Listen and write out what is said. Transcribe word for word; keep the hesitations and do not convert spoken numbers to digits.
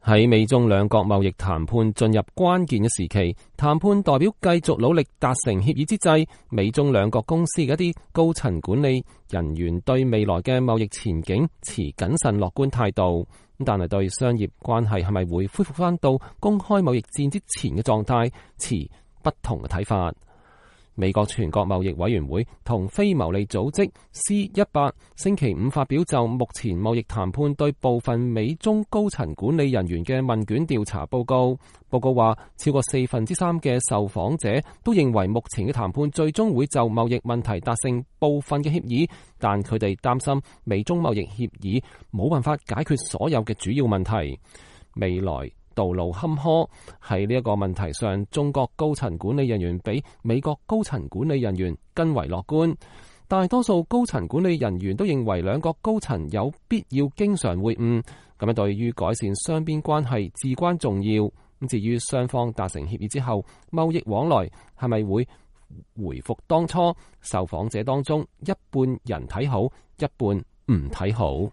喺美中兩國貿易談判進入關鍵嘅時期，談判代表繼續努力達成協議之際，美中兩國公司嘅一啲高層管理人員對未來嘅貿易前景持謹慎樂觀態度，但係對商業關係係咪會恢復翻到公開貿易戰之前嘅狀態持不同嘅睇法。美國全國貿易委員會同非牟利組織 C 一百星期五發表就目前貿易談判對部分美中高層管理人員嘅問卷調查報告。報告話，超過四分之三嘅受訪者都認為目前嘅談判最終會就貿易問題達成部分嘅協議，但佢哋擔心美中貿易協議冇辦法解決所有嘅主要問題。未來道路坎坷，喺呢一個問題上，中國高層管理人員比美國高層管理人員更為樂觀。大多數高層管理人員都認為兩國高層有必要經常會晤，咁樣對於改善雙邊關係至關重要。咁至於雙方達成協議之後，貿易往來係咪會回復當初？受訪者當中一半人睇好，一半唔睇好。